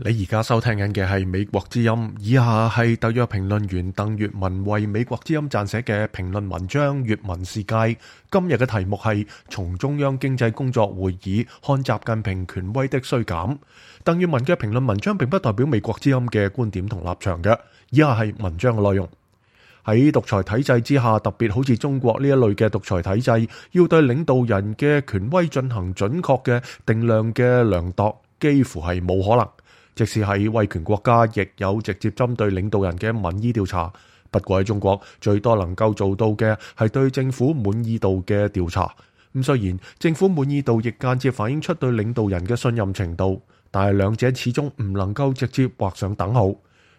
你而家收聽緊嘅係美國之音，以下係特約評論員鄧粵文為美國之音撰寫嘅評論文章《粵文世界》。今日嘅題目係從中央經濟工作會議看習近平權威的衰減。鄧粵文嘅評論文章並不代表美國之音嘅觀點同立場嘅，以下係文章嘅內容。喺獨裁體制之下，特別好似中國呢一類嘅獨裁體制，要對領導人嘅權威進行準確嘅定量嘅量度，幾乎係冇可能。即使係威權國家，亦有直接針對領導人嘅民意調查。不過喺中國，最多能夠做到嘅係對政府滿意度嘅調查。咁雖然政府滿意度亦間接反映出對領導人嘅信任程度，但係兩者始終唔能夠直接畫上等號。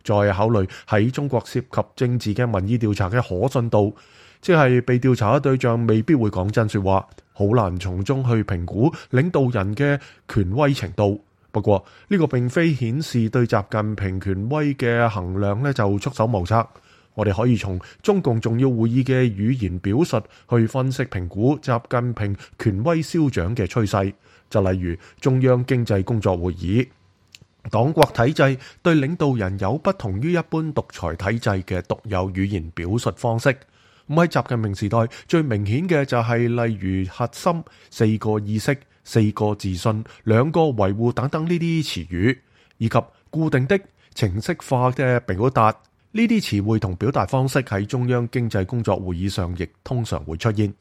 再考慮喺中國涉及政治嘅民意調查嘅可信度，即係被調查嘅對象未必會講真說話，好難從中去評估領導人嘅權威程度。不過呢個並非顯示對習近平權威嘅衡量呢就束手無策。我哋可以從中共重要會議嘅語言表述去分析評估習近平權威消長嘅趨勢。就例如中央經濟工作會議，黨國體制對領導人有不同於一般獨裁體制嘅獨有語言表述方式。咁喺習近平時代最明顯嘅就係例如核心、四個意識、四個自信、兩個維護等等呢啲詞語，以及固定的程式化嘅表達，呢啲詞彙同表達方式喺中央經濟工作會議上亦通常會出現。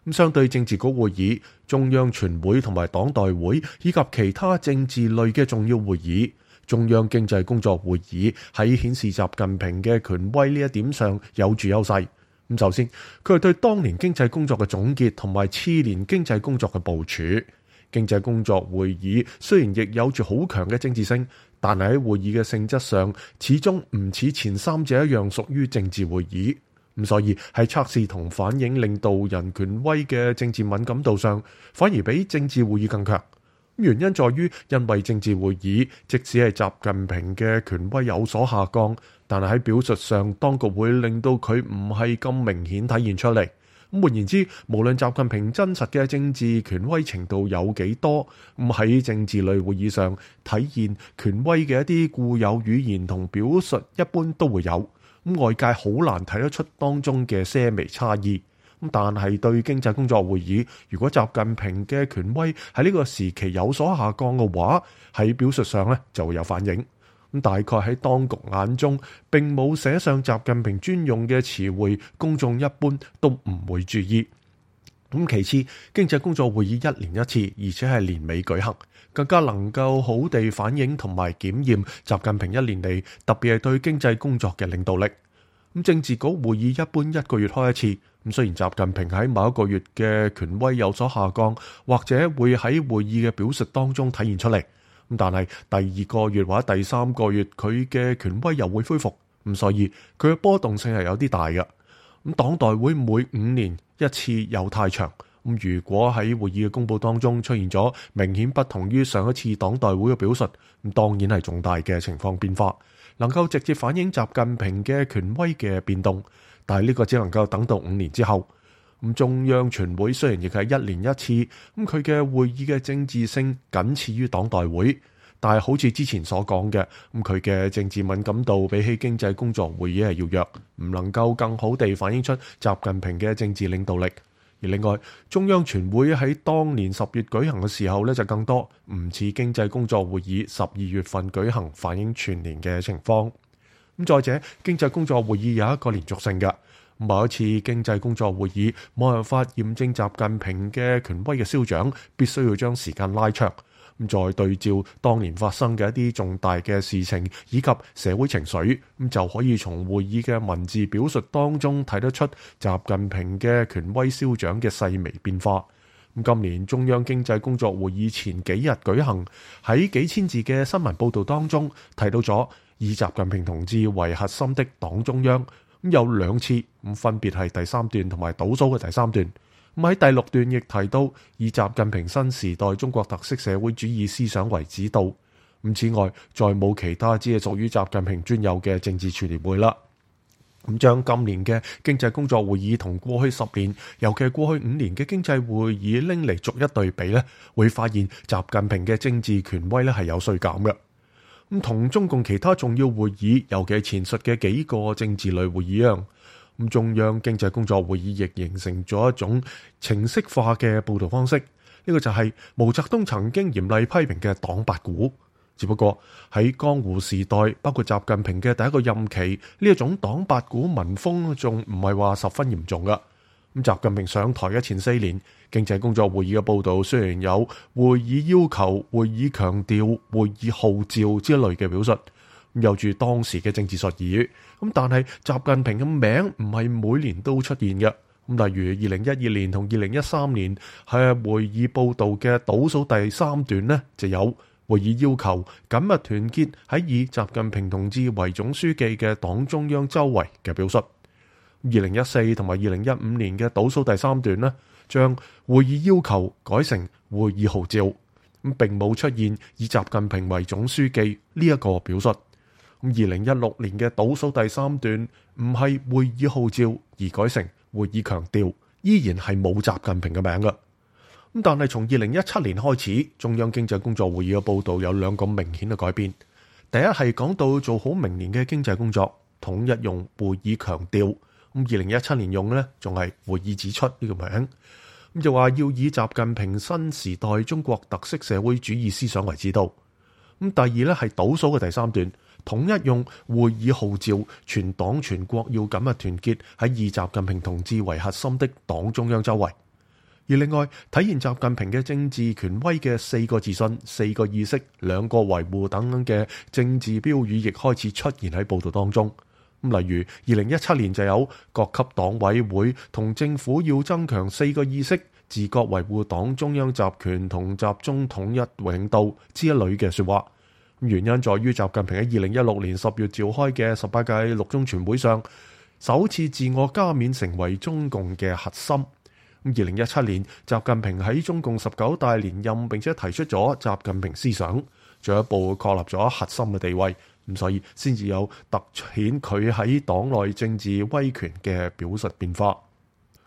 咁相對政治局會議、中央全會同埋黨代會以及其他政治類嘅重要會議，中央經濟工作會議喺顯示習近平嘅權威呢一點上有住優勢。咁首先，佢係對當年經濟工作嘅總結同埋次年經濟工作嘅部署。經濟工作會議雖然亦有住好強嘅政治性，但係喺會議嘅性質上，始終唔似前三者一樣屬於政治會議。咁所以喺測試同反映領導人權威嘅政治敏感度上，反而比政治會議更強。原因在於，因為政治會議即使係習近平嘅權威有所下降，但係喺表述上，當局會令到佢唔係咁明顯體現出嚟。咁換言之，無論習近平真實嘅政治權威程度有幾多，咁喺政治類會議上體現權威嘅一啲固有語言同表述，一般都會有。咁外界好難睇得出當中嘅些微差異。咁但係對經濟工作會議，如果習近平嘅權威喺呢個時期有所下降嘅話，喺表述上呢就會有反應。咁大概喺當局眼中並冇寫上習近平專用嘅詞彙，公眾一般都唔會注意。咁其次，經濟工作會議一年一次，而且係年尾舉行，更加能夠好地反映同埋檢驗習近平一年嚟特別係對經濟工作嘅領導力。咁政治局會議一般一個月開一次。咁雖然習近平喺某一個月嘅權威有所下降，或者會喺會議嘅表述當中體現出嚟，咁但係第二個月或者第三個月佢嘅權威又會恢復，咁所以佢嘅波動性係有啲大嘅。咁黨代會每5年一次又太長，咁如果喺會議嘅公佈當中出現咗明顯不同於上一次黨代會嘅表述，咁當然係重大嘅情況變化，能夠直接反映習近平嘅權威嘅變動。但係呢個只能夠等到5年之後。咁中央全會雖然亦係1年一次，咁佢嘅會議嘅政治性僅次於黨代會，但係好似之前所講嘅，咁佢嘅政治敏感度比起經濟工作會議係要弱，唔能夠更好地反映出習近平嘅政治領導力。而另外，中央全會喺當年10月舉行嘅時候呢就更多，唔似經濟工作會議12月份舉行反映全年嘅情況。咁再者，經濟工作會議有一個連續性嘅，某一次經濟工作會議冇辦法驗證習近平嘅權威嘅消長，必須要將時間拉長，咁再對照當年發生嘅一啲重大嘅事情以及社會情緒，咁就可以從會議嘅文字表述當中睇得出習近平嘅權威消長嘅細微變化。咁今年中央經濟工作會議前幾日舉行，喺幾千字嘅新聞報導當中提到咗以習近平同志為核心的黨中央，咁有2次，咁分別係第3段同埋倒數嘅第3段。咁喺第6段亦提到以習近平新時代中國特色社會主義思想為指導。咁此外，再冇其他只係屬於習近平專有嘅政治傳聯會啦。咁將今年嘅經濟工作會議同過去10年，尤其係過去5年嘅經濟會議拎嚟逐一對比呢，會發現習近平嘅政治權威呢係有衰減嘅。咁同中共其他重要會議，尤其係前述嘅幾個政治類會議一樣，咁中央經濟工作會議亦形成咗一種程式化嘅報道方式。呢個就係毛澤東曾經嚴厲批評嘅黨八股。只不過喺江湖時代，包括習近平嘅第一個任期，呢一種黨八股民風仲唔係話十分嚴重噶。咁習近平上台嘅前4年，經濟工作會議嘅報道雖然有會議要求、會議強調、會議號召之類嘅表述，有住當時嘅政治術語。咁但係習近平嘅名唔係每年都出現嘅。咁例如2012年同2013年係會議報道嘅倒數第3段呢，就有會議要求緊密團結喺以習近平同志為總書記嘅黨中央周圍嘅表述。2014同埋2015年嘅倒數第3段呢，將會議要求改成會議號召，咁並冇出現以習近平為總書記呢一個表述。咁2016年嘅倒數第3段唔係會議號召而改成會議強調，依然係冇習近平嘅名㗎。咁但係從2017年開始，中央經濟工作會議嘅報道有2個明顯嘅改變。第一係講到做好明年嘅經濟工作，統一用會議強調。咁2017年用呢，仲係會議指出呢個名。咁就話要以習近平新時代中國特色社會主義思想為指導。咁第二呢係倒數嘅第3段，統一用會議號召，全黨全國要緊密團結喺以習近平同志為核心的黨中央周圍。而另外體現習近平嘅政治權威嘅4個自信、4個意識、2個維護等等嘅政治標語，亦開始出現喺報道當中。咁例如2017年就有各級黨委會同政府要增強4個意識，自覺維護黨中央集權同集中統一領導之一類嘅說話。原因在於習近平喺2016年10月召開嘅18屆六中全會上，首次自我加冕成為中共嘅核心。2017年，習近平喺中共19大連任，並且提出咗習近平思想，進一步確立咗核心嘅地位。咁所以先至有突顯佢喺黨內政治威權嘅表述變化。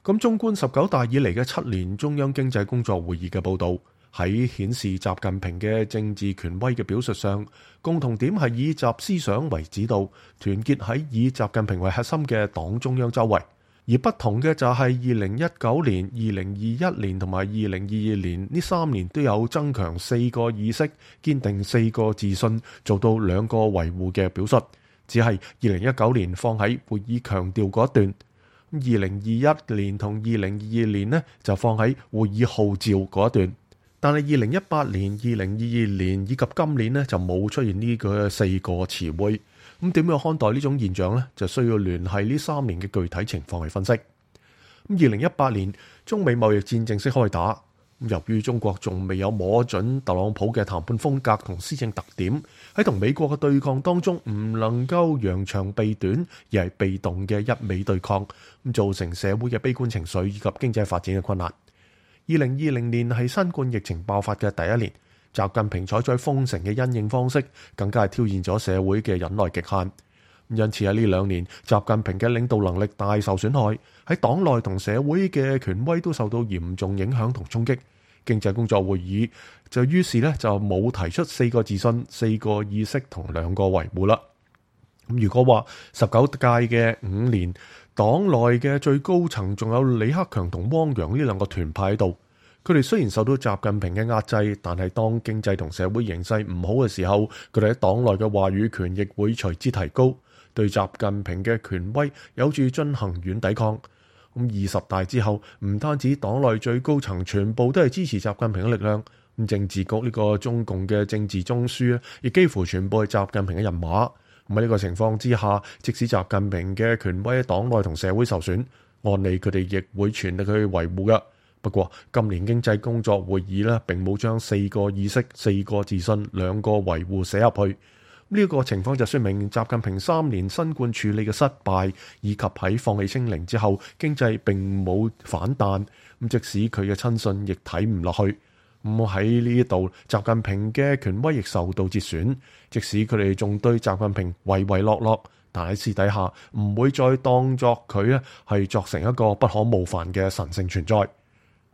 咁縱觀19大以嚟嘅7年中央經濟工作會議嘅報導，喺顯示習近平嘅政治權威嘅表述上，共同點係以習思想為指導，團結喺以習近平為核心嘅黨中央周圍。而不同嘅就係2019年、2021年同埋2022年呢3年都有增強4個意識，堅定4個自信，做到2個維護嘅表述。只係2019年放喺會議強調嗰一段，2021年同2022年呢就放喺會議號召嗰一段。但係2018年、2022年以及今年呢就冇出現呢個4個詞彙。咁點樣看待呢種現象呢？就需要聯繫呢3年嘅具體情況嚟分析。2018年中美貿易戰正式開打，由於中國仲未有摸準特朗普嘅談判風格同施政特點，喺同美國嘅對抗當中唔能夠揚長避短，而係被動嘅一味對抗，咁造成社會嘅悲觀情緒以及經濟發展嘅困難。2020年係新冠疫情爆發嘅第1年。習近平採取封城嘅因應方式，更加係挑戰咗社會嘅忍耐極限。因此喺呢2年，習近平嘅領導能力大受損害，喺黨內同社會嘅權威都受到嚴重影響同衝擊。經濟工作會議就於是就冇提出4個自信、4個意識同2個維護啦。咁如果話19屆嘅5年，黨內嘅最高層仲有李克強同汪洋呢2個團派喺度。佢哋雖然受到習近平嘅壓制，但係當經濟同社會形勢唔好嘅時候，佢哋喺黨內嘅話語權亦會隨之提高，對習近平嘅權威有住進行軟抵抗。咁20大之後，唔單止黨內最高層全部都係支持習近平嘅力量，咁政治局呢個中共嘅政治中樞亦幾乎全部係習近平嘅人馬。咁喺呢個情況之下，即使習近平嘅權威喺黨內同社會受損，按理佢哋亦會全力去維護㗎。不過今年經濟工作會議並冇將4個意識、4個自信、2個維護寫入去。呢個情況就說明習近平3年新冠處理嘅失敗，以及喺放棄清零之後經濟並冇反彈。即使佢嘅親信亦睇唔落去。喺呢度，習近平嘅權威亦受到折損。即使佢哋仲對習近平唯唯諾諾，但喺私底下唔會再當作佢係作成一個不可冒犯嘅神聖存在。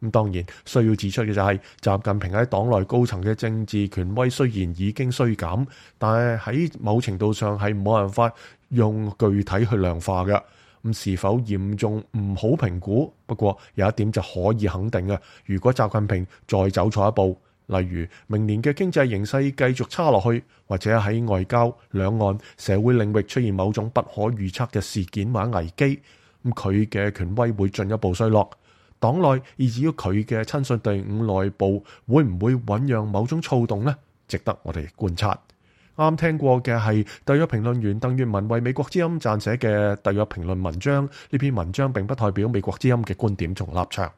咁當然需要指出嘅就係，習近平喺黨內高層嘅政治權威雖然已經衰減，但係喺某程度上係冇辦法用具體去量化嘅。咁是否嚴重唔好評估，不過有一點就可以肯定嘅，如果習近平再走錯一步，例如明年嘅經濟形勢繼續差落去，或者喺外交、兩岸、社會領域出現某種不可預測嘅事件或者危機，咁佢嘅權威會進一步衰落。黨內以至於佢嘅親信隊伍內部會唔會醞釀某種躁動呢？值得我哋觀察。啱聽過嘅係特約評論員鄧粵文為美國之音撰寫嘅特約評論文章，呢篇文章並不代表美國之音嘅觀點同立場。